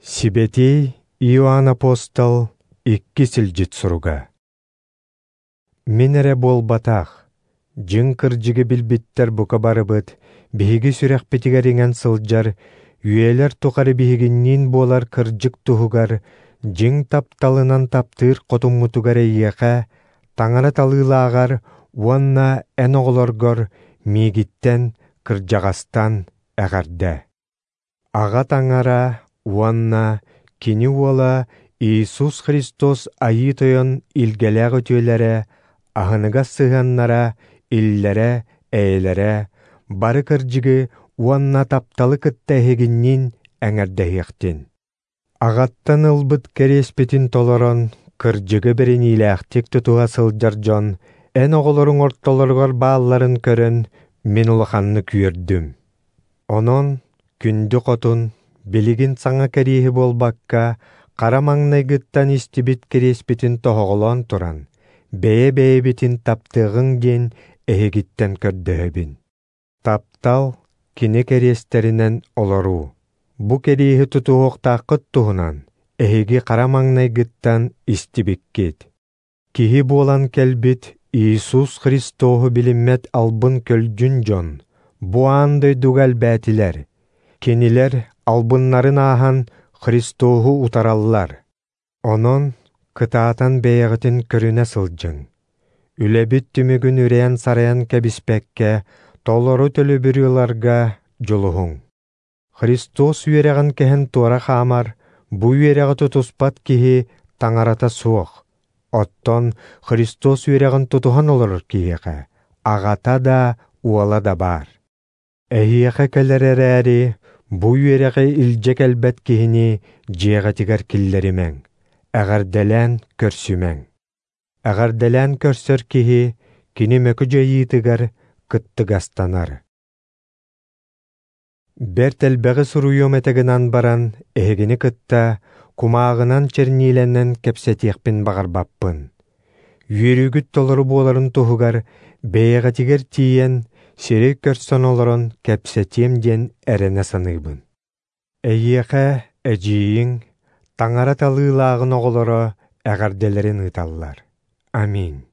Сибэтиэй Иоанн Апостол иккис илдьит суруга. Мин эрэ буолбатах, дьиҥ кырдьыгы билбиттэр бука барыбыт, биһиги сүрэхпитигэр иҥэн сылдьар, үйэлэр тухары биһигинниин буолар кырдьык туһугар, дьиҥ тапталынан таптыыр хотуммутугар эйиэхэ, Таҥара талыылааҕар уонна эн оҕолоргор миигиттэн, кырдьаҕастан эҕэрдэ. Аҕа Таҥара уонна Кини Уола Иисус Христос Айыы Тойон илгэлээх үтүөлэрэ, аһыныгас сыһыаннара, иллэрэ, эйэлэрэ, бары кырдьыгы уонна тапталы кытта эһигинниин эҥэрдэһиэхтин. Аҕаттан ылбыт кэриэспитин толорон, кырдьыгы бэриниилээхтик тутуһа сылдьар дьон эн оҕолоруҥ ортолоругар баалларын көрөн, мин улаханнык үөрдүм. Онон, күндү хотун, билигин саҥа кэриэһи буолбакка, хара маҥнайгыттан истибит кэриэспитин тоһоҕолоон туран, бэйэ-бэйэбитин таптыаҕыҥ диэн эһигиттэн көрдөһөбүн. Таптал кини кэриэстэринэн олоруу. Бу кэриэһи тутуһуохтааххыт туһунан эһиги хара маҥнайгыттан истибиккит. Киһи буолан кэлбит Иисус Христоһу билиммэт албын көлдьүн дьон бу аан дойдуга элбээтилэр. Кинилэр албыннарын ааһан Христоһу утараллар. Онон кытаатан бэйэҕитин көрүнэ сылдьыҥ. Үлэбит түмүгүн үрээн-сарайан кэбиспэккэ, толору төлөбүрү ыларга дьулуһуҥ. Христос үөрэҕин кэһэн туора хаамар, бу үөрэҕи тутуспат киһи таҥарата суох. Оттон Христос үөрэҕин тутуһан олорор киһиэхэ аҕата да, уола да баар. Эһиэхэ кэлэр эрээри, бу үөрэҕи илдьэ кэлбэт киһини дьиэҕитигэр киллэримэҥ, эҕэрдэлээн көрсүмэҥ. Эҕэрдэлээн көрсөр киһи кини мөкү дьайыытыгар кыттыгастанар. Бэрт элбэҕи суруйуом этэ гынан баран, эһигини кытта кумааҕынан черниилэнэн кэпсэтиэхпин баҕарбаппын. Үөрүүгүт толору буоларын туһугар бэйэҕитигэр тиийэн, сирэй көрсөн олорон кэпсэтиэм диэн эрэнэ саныыбын. Эйиэхэ эдьиийиҥ, Таҥара талыылааҕын оҕолоро эҕэрдэлэрин ыыталлар. Аминь.